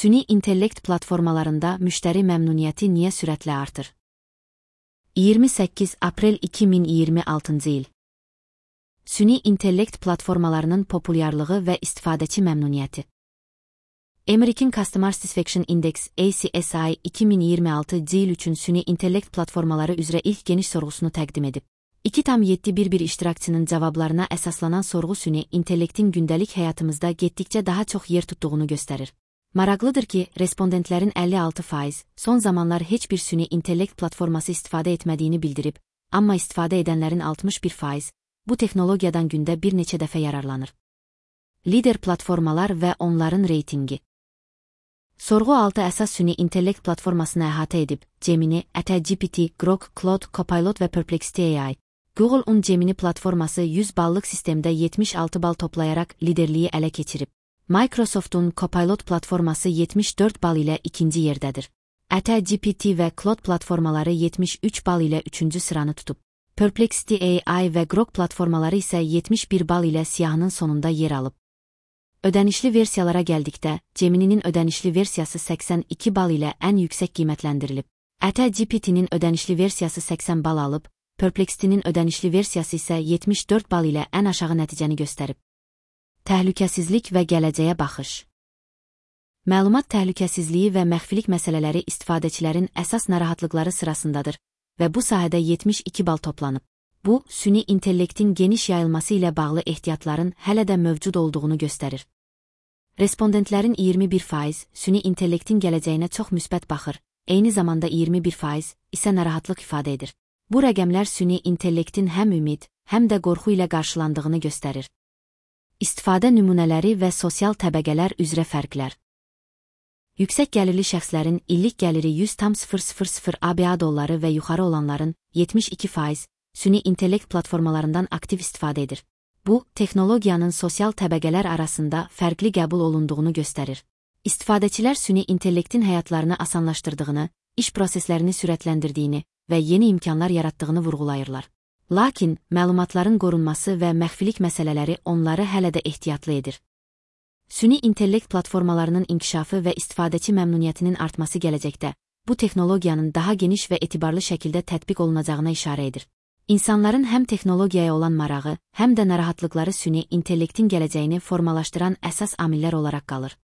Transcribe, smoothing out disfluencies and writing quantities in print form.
Süni intellekt platformalarında müşteri məmnuniyyəti niyə sürətlə artır? 28 aprel 2026 il. Süni intellekt platformalarının populyarlığı və istifadəçi məmnuniyyəti. American Customer Satisfaction Index ACSI 2026 il üçün süni intellekt platformaları üzrə ilk geniş sorğusunu təqdim edib. 2,711 iştirakçının cavablarına əsaslanan sorğu süni intellektin gündəlik həyatımızda getdikcə daha çox yer tutduğunu göstərir. Maraqlıdır ki, respondentlərin 56% son zamanlar heç bir süni intellekt platforması istifadə etmədiyini bildirib, amma istifadə edənlərin 61% bu texnologiyadan gündə bir neçə dəfə yararlanır. Lider platformalar və onların reytingi. Sorğu 6 əsas süni intellekt platformasını əhatə edib: Gemini, GPT, Grok, Claude, Copilot və Perplexity AI. Google'un Gemini platforması 100 ballıq sistemdə 76 bal toplayaraq liderliyi ələ keçirib. Microsoft'un Copilot platforması 74 bal ilə ikinci yerdədir. GPT və Claude platformaları 73 bal ilə üçüncü sıranı tutub. Perplexity AI və Grok platformaları isə 71 bal ilə siyahının sonunda yer alıb. Ödənişli versiyalara gəldikdə, Gemini'nin ödənişli versiyası 82 bal ilə ən yüksək qiymətləndirilib. GPT'nin ödənişli versiyası 80 bal alıb, Perplexity'nin ödənişli versiyası isə 74 bal ilə ən aşağı nəticəni göstərib. Təhlükəsizlik və gələcəyə baxış. Məlumat təhlükəsizliyi və məxfilik məsələləri istifadəçilərin əsas narahatlıqları sırasındadır və bu sahədə 72 bal toplanıb. Bu, süni intellektin geniş yayılması ilə bağlı ehtiyatların hələ də mövcud olduğunu göstərir. Respondentlərin 21% süni intellektin gələcəyinə çox müsbət baxır, eyni zamanda 21% isə narahatlıq ifadə edir. Bu rəqəmlər süni intellektin həm ümid, həm də qorxu ilə qarşılandığını göstərir. İstifadə nümunələri və sosial təbəqələr üzrə fərqlər. Yüksək gəlirli şəxslərin illik gəliri 100,000 ABA dolları və yuxarı olanların 72% süni intellekt platformalarından aktiv istifadə edir. Bu, texnologiyanın sosial təbəqələr arasında fərqli qəbul olunduğunu göstərir. İstifadəçilər süni intellektin həyatlarını asanlaşdırdığını, iş proseslərini sürətləndirdiyini və yeni imkanlar yaratdığını vurğulayırlar. Lakin, məlumatların qorunması və məxfilik məsələləri onları hələ də ehtiyatlı edir. Süni intellekt platformalarının inkişafı və istifadəçi məmnuniyyətinin artması gələcəkdə, bu texnologiyanın daha geniş və etibarlı şəkildə tətbiq olunacağına işarə edir. İnsanların həm texnologiyaya olan marağı, həm də narahatlıqları süni intellektin gələcəyini formalaşdıran əsas amillər olaraq qalır.